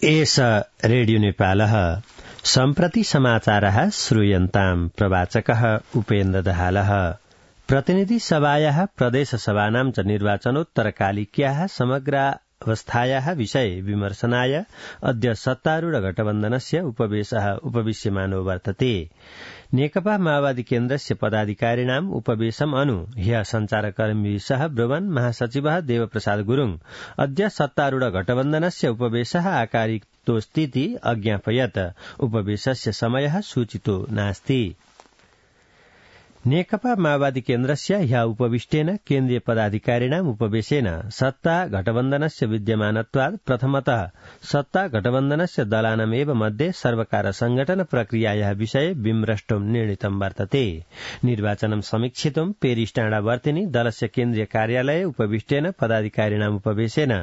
एष रेडियो नेपालः सम्प्रति समाचारः श्रूयन्ताम् प्रवाचकः उपेन्द्र दहालः। प्रतिनिधि सभायाः प्रदेशसभानां च निर्वाचनोत्तरकालिक्याः समग्रावस्थायाः विषये विमर्शनाय अद्य सत्तारूढ गठबन्धनस्य उपवेशः उपविश्यमानो वर्तते। नेकपा माओवादी केन्द्रस्य पदाधिकारिणाम् उपवेशम् अनु ह्यः सञ्चारकर्मीभिः सह ब्रुवन् महासचिवः देवप्रसाद गुरुङ अद्य सत्तारूढ गठबन्धनस्य उपवेशः आकारितोऽस्तीति अज्ञापयत्। उपवेशस्य समयः सूचितो नास्ति। नेकपा माओवादी केन्द्रस्य ह्यः उपविष्टेन केन्द्रीय पदाधिकारिणाम् उपवेशेन सत्ता गठबन्धनस्य विद्यमानत्वात् प्रथमतः सत्ता गठबन्धनस्य दलानामेव मध्ये सर्वकार संगठन प्रक्रियायाः विषये विमृष्टुं निर्णीतं वर्तते। निर्वाचनं समीक्षितुं पेरिसटाडावर्तिनि दलस्य केन्द्रीय कार्यालये उपविष्टेन पदाधिकारिणाम् उपवेशेन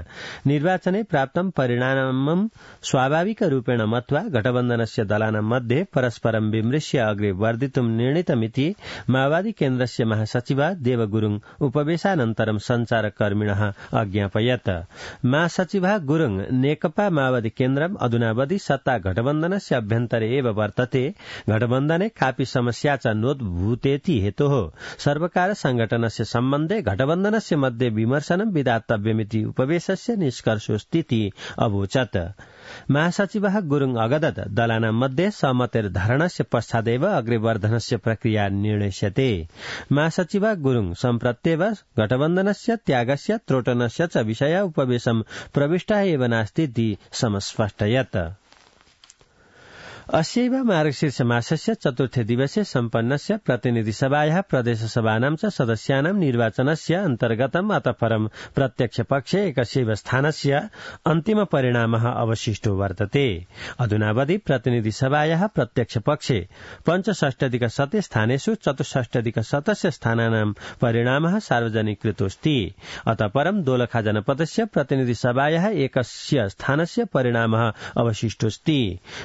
निर्वाचने प्राप्तं परिणामं स्वाभाविक रूपेण मत्वा गठबन्धनस्य दलानां मध्ये परस्परं विमृश्य अग्रे वर्धितुं निर्णीतमिति माओवादी केन्द्रस्य महासचिव देव गुरुङ उपवेशानन्तरं सञ्चारकर्मिणः अज्ञापयत्। महासचिव गुरुङ नेकपा माओवादी केन्द्रम् अधुनावधि सत्ता गठबन्धनस्य अभ्यन्तरे एव वर्तते। गठबन्धने कापि समस्या च नोद्भूतेति हेतोः सर्वकार संगठनस्य सम्बन्धे गठबन्धनस्य मध्ये विमर्शनं विधातव्यमिति उपवेशस्य निष्कर्षोऽस्तीति अवोचत्। महासचिवः गुरुङ अगदत् दलानां मध्ये सहमतिर्धारणस्य पश्चादेव अग्रेवर्धनस्य प्रक्रिया निर्णयस्यते। महासचिव गुरुङ सम्प्रत्येव गठबन्धनस्य त्यागस्य त्रोटनस्य च विषय उपवेशं प्रविष्टः एव नास्तीति समस्पष्टयत्। अस्यैव मार्गशीर्ष मासस्य चतुर्थे दिवसे सम्पन्नस्य प्रतिनिधिसभायाः प्रदेशसभानां च सदस्यानां निर्वाचनस्य अन्तर्गतम् अतः परं प्रत्यक्षपक्षे एकस्यैव स्थानस्य अन्तिम परिणामः अवशिष्टो वर्तते। अधुनावधि प्रतिनिधिसभायाः प्रत्यक्षपक्षे 65+ स्थानेषु 64+ स्थानानां परिणामः सार्वजनिकृतोऽस्ति। अतः परं दोलखा जनपदस्य प्रतिनिधिसभायाः एकस्य स्थानस्य परिणामः अवशिष्टोऽस्ति।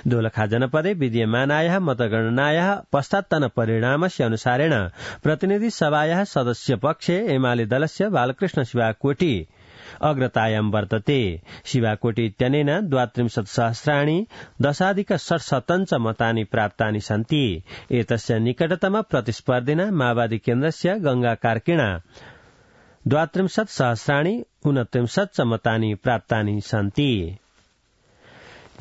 दोलखा जनपदे विद्यमानायाः मतगणनायाः पश्चात्तन परिणामस्य अनुसारेण प्रतिनिधिसभायाः सदस्यपक्षे एमाले दलस्य बालकृष्ण शिवाकोटी अग्रतायां वर्तते। शिवाकोटी इत्यनेन 32,000 10,600 मतानि प्राप्तानि सन्ति। एतस्य निकटतम प्रतिस्पर्धिना माओवादी केन्द्रस्य गंगा कार्किणा 32,000 29 मतानि प्राप्तानि सन्ति।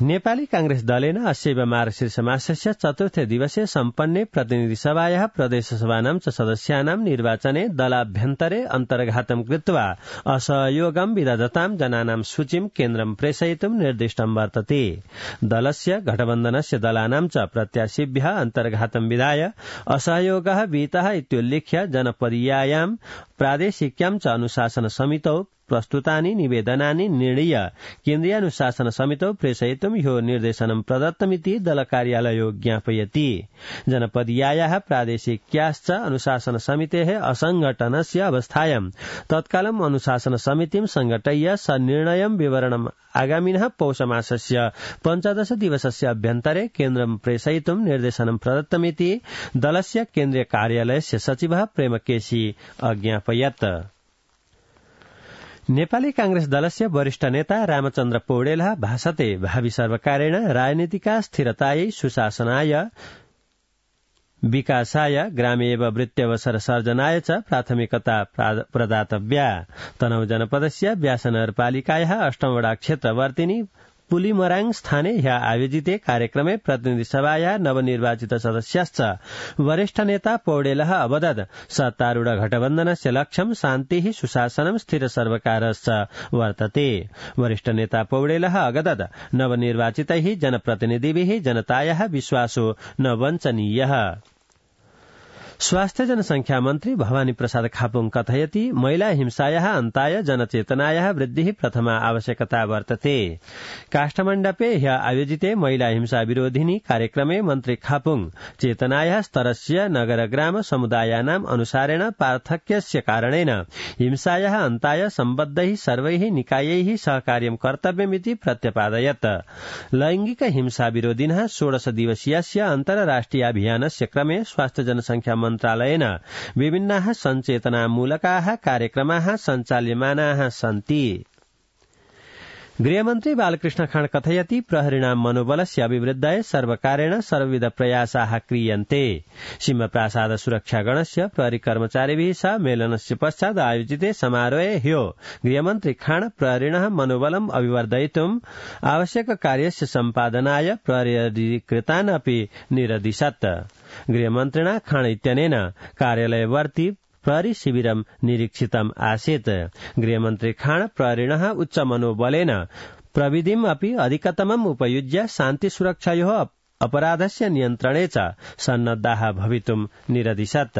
नेपाली कांग्रेस दलेन अस्यैव मार्गशीर्ष मासस्य चतुर्थे दिवसे सम्पन्ने प्रतिनिधिसभायाः प्रदेशसभानां च सदस्यानां निर्वाचने दलाभ्यन्तरे अन्तर्घातं कृत्वा असहयोगं विदधतां जनानां सूचीं केन्द्रं प्रेषयितुं निर्दिष्टं वर्तते। दलस्य गठबन्धनस्य दलानां च प्रत्याशिभ्यः अन्तर्घातं विधाय असहयोगः विहितः इत्युल्लिख्य जनपदीयायां प्रादेशिक्यां च अनुशासन समितौ प्रस्तुतानि निवेदनानि निर्णीय केन्द्रीयानुशासन समितौ प्रेषयितुं ह्यो निर्देशनं प्रदत्तमिति दल कार्यालयो ज्ञापयति। जनपदीयायाः प्रादेशिक्याश्च अनुशासन समितेः असंघटनस्य अवस्थायां तत्कालम् अनुशासन समितिं संघटय्य सनिर्णयं विवरणम् आगामिनः पौषमासस्य 15 दिवसस्य अभ्यन्तरे केन्द्रं प्रेषयितुं निर्देशनं प्रदत्तमिति दलस्य केन्द्रीय कार्यालयस्य सचिवः प्रेमकेशी अज्ञापयत्। नेपाली कांग्रेस दलस्य वरिष्ठ नेता रामचन्द्र पौडेलः भाषते भावी सर्वकारेण राजनीतिका स्थिरतायै सुशासनाय विकासाय ग्रामेव वृत्त्यवसर सर्जनाय च प्राथमिकता प्रदातव्या। तनहु जनपदस्य व्यास नगरपालिकायाः 8 वडा क्षेत्रवर्तिनि पुलिमराङ स्थाने ह्यः आयोजिते कार्यक्रमे प्रतिनिधिसभायाः नवनिर्वाचित सदस्याश्च वरिष्ठ नेता पौडेलः अवदत् सत्तारूढ गठबन्धनस्य लक्ष्यं शान्तिः सुशासनं स्थिर सर्वकारश्च वर्तते। वरिष्ठ नेता पौडेलः अगदत् नवनिर्वाचितैः जनप्रतिनिधिभिः जनतायाः विश्वासो न वञ्चनीयः। स्वास्थ्य जनसंख्या मन्त्री भवानी प्रसाद खापुङ कथयति महिला हिंसायाः अन्ताय जनचेतनायाः वृद्धिः प्रथमा आवश्यकता वर्तते। काष्ठमण्डपे ह्यः आयोजिते महिला हिंसा विरोधिनी कार्यक्रमे मन्त्री खापुङ चेतनायाः स्तरस्य नगरग्राम समुदायानाम् अनुसारेण पार्थक्यस्य कारणेन हिंसायाः अन्ताय सम्बद्धैः सर्वैः निकायैः सहकार्यं कर्तव्यमिति प्रत्यपादयत्। लैंगिक हिंसा विरोधिनः 16 दिवसीयस्य अन्तर्राष्ट्रिय अभियानस्य क्रमे स्वास्थ्य जनसंख्या मन्त्रालयेन विभिन्नाः सञ्चेतनामूलकाः कार्यक्रमाः सञ्चाल्यमानाः सन्ति। गृहमन्त्री बालकृष्ण खाँड कथयति प्रहरिणां मनोबलस्य अभिवृद्धाय सर्वकारेण सर्वविध प्रयासाः क्रियन्ते। सिंहप्रासाद सुरक्षागणस्य प्रहरी कर्मचारिभिः सह मेलनस्य पश्चात् आयोजिते समारोहे ह्यो गृहमन्त्री खाँड प्रहरिणः मनोबलम् अभिवर्धयितुम् आवश्यक कार्यस्य सम्पादनाय प्रहरीकृतान् अपि निरदिशत्। गृहमन्त्रिणा खाँड इत्यनेन कार्यालयवर्ती प्रहरी शिविरं निरीक्षितम् आसीत्। गृहमन्त्री खाँड प्रहरिणः उच्च मनोबलेन प्रविधिम् अपि अधिकतमम् उपयुज्य शान्ति सुरक्षायोः अपराधस्य नियन्त्रणे च सन्नद्धाः भवितुम् निरदिशत्।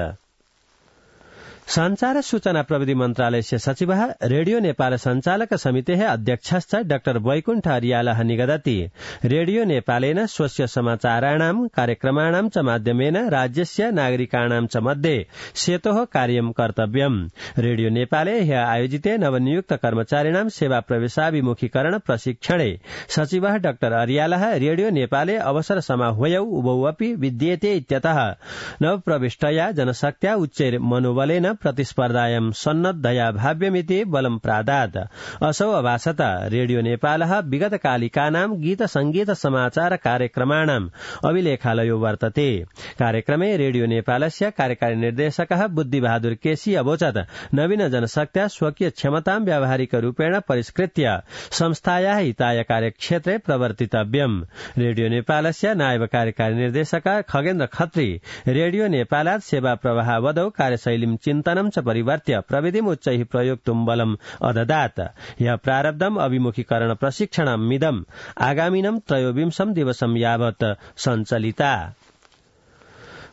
संचार सूचना प्रविधि मन्त्रालयस्य सचिवः रेडियो नेपाल संचालक समितेः अध्यक्षश्च डाक्टर वैकुण्ठ अर्यालः निगदति। रेडियो नेपालेन स्वस्य समाचाराणां कार्यक्रमाणां च माध्यमेन राज्यस्य नागरिकाणां च मध्ये सेतोः कार्यं कर्तव्यम्। रेडियो नेपाले ह्यः आयोजिते नवनियुक्त कर्मचारिणां सेवा प्रवेशाभिमुखीकरण प्रशिक्षणे सचिवः डाक्टर अर्यालः रेडियो नेपाले अवसर समाह्वयौ उभौ अपि विद्येते इत्यतः नवप्रविष्टया जनशक्त्या उच्चैर मनोबलेन प्रतिस्पर्धायां सन्नद्धया भाव्यमिति बलं प्रादात्। असौ अभाषत रेडियो नेपालः विगतकालिकानां गीत संगीत समाचार कार्यक्रमाणाम् अभिलेखालयो वर्तते। कार्यक्रमे रेडियो नेपालस्य कार्यकारी निर्देशकः बुद्धिबहादुर केसी अवोचत् नवीन जनशक्त्या स्वकीय क्षमतां व्यावहारिक रूपेण परिष्कृत्य संस्थायाः हिताय कार्यक्षेत्रे प्रवर्तितव्यम्। रेडियो नेपालस्य नायब कार्यकारी निर्देशक खगेन्द्र खत्री रेडियो नेपालात् सेवा प्रवाहवदौ कार्यशैलीं चिन्तनं च परिवर्त्य प्रविधिम् उच्चैः प्रयोक्तुम् बलम् अददात्। यह प्रारब्धम् अभिमुखीकरण प्रशिक्षणमिदम् आगामिनं 23 दिवसं यावत् सञ्चलिता।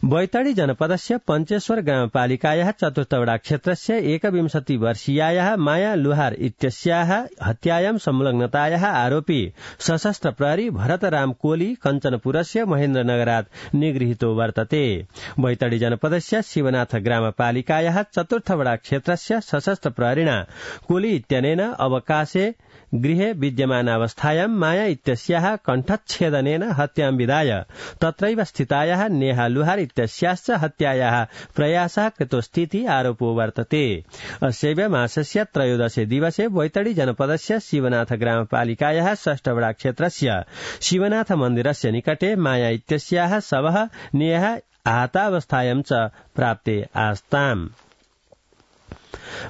बैतडी जनपदस्य पञ्चेश्वर ग्रामपालिकायाः चतुर्थवडा क्षेत्रस्य 21 वर्षीयायाः माया लुहार इत्यस्याः हत्यायां संलग्नतायाः आरोपी सशस्त्र प्रहरी भरतराम कोली कञ्चनपुरस्य महेन्द्रनगरात् निगृहीतो वर्तते। बैतडी जनपदस्य शिवनाथ ग्रामपालिकायाः चतुर्थवडा क्षेत्रस्य सशस्त्र प्रहरिणा कोली इत्यनेन अवकाशे गृहे विद्यमानावस्थायां माया इत्यस्याः कण्ठच्छेदनेन हत्यां विधाय तत्रैव स्थितायाः नेहा लुहार इत्यस्याश्च हत्यायाः प्रयासः कृतोस्तीति आरोपो वर्तते। अस्यैव मासस्य 13 दिवसे बैतडी जनपदस्य शिवनाथ ग्रामपालिकायाः षष्ठवडा क्षेत्रस्य शिवनाथ मन्दिरस्य निकटे माया इत्यस्याः शवः नेहा आहतावस्थायां च प्राप्ते आस्ताम्।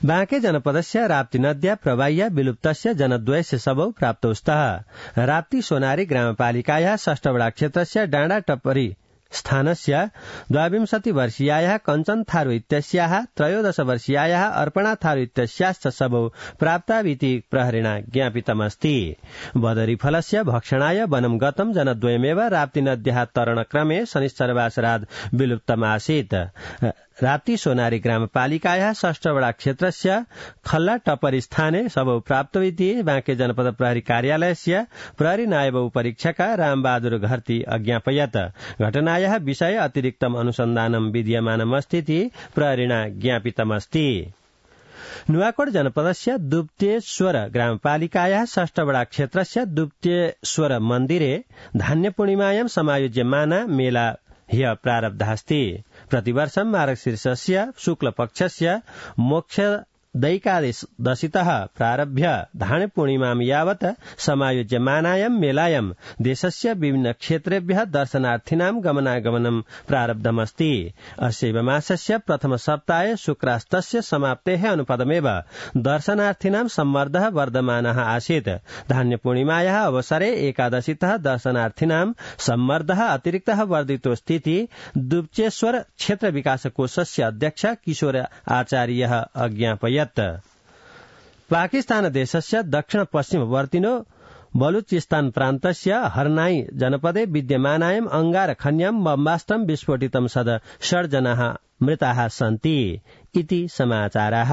बांके जनपदस्य राप्ती नद्या प्रवाह्य विलुप्तस्य जनद्वयस्य शवौ प्राप्तौ स्तः। राप्ती सोनारी ग्रामपालिकायाः षष्ठवडा क्षेत्रस्य डाँडा टप्परी स्थानस्य 22 वर्षीयायाः कञ्चन थारू इत्यस्याः 13 वर्षीयायाः अर्पणा थारू इत्यस्याश्च शवौ प्राप्ताविति प्रहरिणा ज्ञापितमस्ति। बदरीफलस्य भक्षणाय वनं गतं जनद्वयमेव राप्ती नद्याः तरणक्रमे शनिश्चरवासरात् विलुप्तमासीत्। राप्ती सोनारी ग्रामपालिकायाः षष्ठवडा क्षेत्रस्य खल्ला टप्परी स्थाने शवौ प्राप्तमिति बांके जनपद प्रहरी कार्यालयस्य प्रहरी नायब उपरीक्षक रामबहादुर घरती अज्ञापयत्। घटनायाः विषये अतिरिक्तम् अनुसन्धानं विद्यमानमस्तीति प्रहरिणा ज्ञापितमस्ति। नुवाकोट जनपदस्य दुप्तेश्वर ग्रामपालिकायाः षष्ठवडा क्षेत्रस्य दुप्तेश्वर मन्दिरे धान्यपूर्णिमायां समायोज्यमाना मेला ह्यः प्रारब्धास्ति। प्रतिवर्षं मार्गशीर्षस्य शुक्लपक्षस्य मोक्षदैकादशीतः प्रारभ्य धान्यपूर्णिमां यावत् समायोज्यमानायां मेलायां देशस्य विभिन्न क्षेत्रेभ्यः दर्शनार्थिनां गमनागमनं प्रारब्धमस्ति। अस्यैव मासस्य प्रथम सप्ताहे शुक्रास्तस्य समाप्तेः अनुपदमेव दर्शनार्थिनां सम्मर्दः वर्धमानः आसीत्। धान्यपूर्णिमायाः अवसरे एकादशीतः दर्शनार्थिनां सम्मर्दः अतिरिक्तः वर्धितोऽस्तीति दुप्चेश्वर क्षेत्र विकास कोषस्य अध्यक्ष किशोर आचार्यः अज्ञापयत्। पाकिस्तान देशस्य दक्षिण पश्चिमवर्तिनो बलूचिस्तान प्रान्तस्य हरनाई जनपदे विद्यमानायाम् अंगारखन्यां बम्बास्त्रं विस्फोटितं सद 6 जनाः मृताः सन्ति इति समाचाराः।